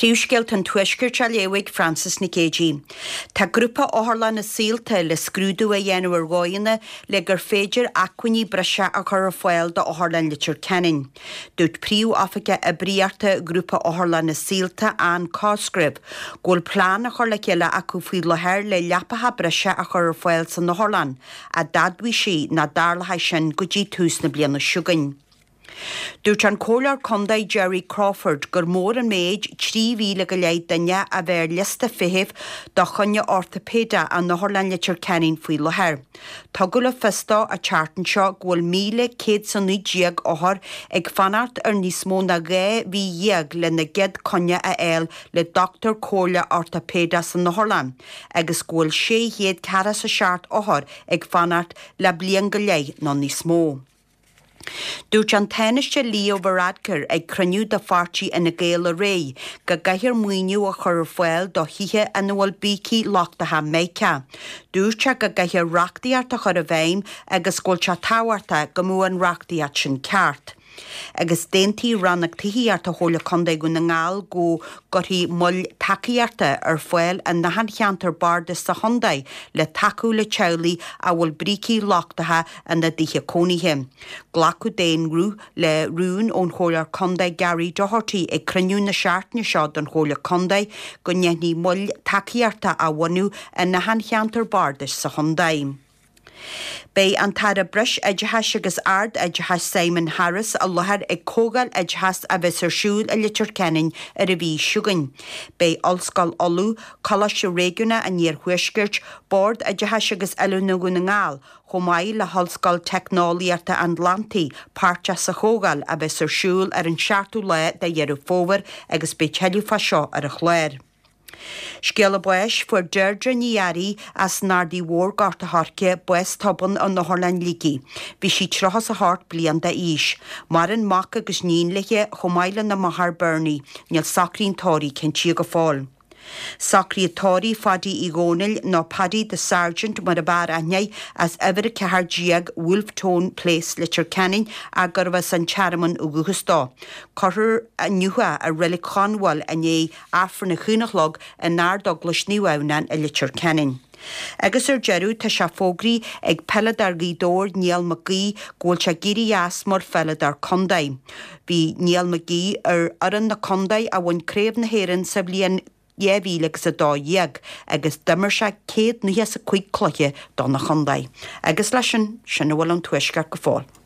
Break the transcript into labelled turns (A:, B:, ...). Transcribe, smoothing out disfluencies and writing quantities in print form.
A: Príomhscéalta an Tuaiscirt á léamh ag Frances Nic Géadaigh. Tá Grúpa Otharlanna Saolta le scrúdú a dhéanamh ar dhóigheanna le gur féidir acmhainní breise a chur ar fáil d'Otharlann Leitir Ceanainn. Dúirt Príomh-Oifigeach Oibríochta Ghrúpa Otharlanna Saolta, Ann Cosgrave, go bhfuil plean á chur le chéile acu faoi láthair le leapacha breise a chur ar fáil san otharlann, ach d'admhaigh sí nach dtarlóidh sin go dtí tús na bliana seo chugainn. Dúirt an Comhairleoir Contae Jerry Crawford gur mór an méid 3,000 go leith duine a bheith ar liosta feithimh do choinne ortaipéideach in Otharlann Leitir Ceanainn faoi láthair. Tugadh le fios dó an tseachtain seo go bhfuil 1,119 othar ag fanacht ar níos mó ná 12 mhí lena gcéad coinne a fháil le dochtúir comhairle ortaipéideach san otharlann agus go bhfuil 647 othar ag fanacht le bliain go leith nó níos mó. Dúirt an Tánaiste Leo Varadkar ag cruinniú de pháirtí Fhine Gael aréir go gcaithfear maoiniú a chur ar fáil do thithe ina bhfuil brící lochtacha meidhreach. Dúirt sé go gcaithfear reachtaíocht a chur i bhfeidhm agus go bhfuil sé tábhachtach go mbeadh an reachtaíocht sin ceart. Agus d'aontaigh Rannóg Tithíochta Chomhairle Contae Dhún na nGall go gcuirfí moil tacaíochta ar fáil in achan cheantar bardais sa chontae le tacú le teaghlaigh a bhfuil brící lochtacha ina dtithe cónaithe. Glacadh d'aon ghuth le rún ón Chomhairleoir Contae Gary Doherty ag cruinniú na seachtaine seo den Chomhairle Contae go ndéanfaí moil tacaíochta a bhunú in achan cheantar bardais sa chontae. Beidh an tAire Breis-Oideachais agus Ard-Oideachais Simon Harris i láthair ag Comhdháil Oideachais a bheas ar siúl i Leitir Ceanainn ar an mhí seo chugainn. Beidh Ollscoil Uladh, Coláiste Réigiúnach an Iarthuaiscirt, Bord Oideachais agus Oiliúna Dhún na nGall, chomh maith le hOllscoil Teicneolaíochta an Atlantaigh, páirteach sa chomhdháil a bheas ar siúl ar an seachtú lá de Dheireadh Fómhair agus beidh tuilleadh fá seo ar an chlár. Scéala báis, Fuair Deirdre Ní Fhearraigh as an Ardaidh Mhór, Gort a' Choirce, bás tobann in Otharlann Shligigh. Bhí sí 38 bliain d'aois. Maireann mac agus níon léi, chomh maith lena máthair Bernie. Níl socruithe an tórraimh cinntithe go fóill. Socruithe tórraimh Phaddy Uí Dhónaill, nó Paddy the Sergeant mar ab fhearr aithne air, as uimhir 14 Wolfe Tone Place, Leitir Ceanainn, ach gurbh as an Tearmann ó dhúchas dó. Cuirfear inniu é i Reilig Chonbháil i ndiaidh Aifreann a haon a chlog in Ard-Eaglais Naomh Adhamhnáin i Leitir Ceanainn. Agus ar deireadh, tá sé fógraithe ag peileadóir Ghaoth Dobhair, Niall Mac Aoidh, go bhfuil sé ag éirí as mar pheileadóir contae. Bhí Niall Mac Aoidh ar fhoireann na contae a bhain Craobh na hÉireann sa bhliain 2012 agus d'imir sé 195 cluiche dona chontae. Agus leis sin, sin a bhfuil ón Tuaisceart go fóill.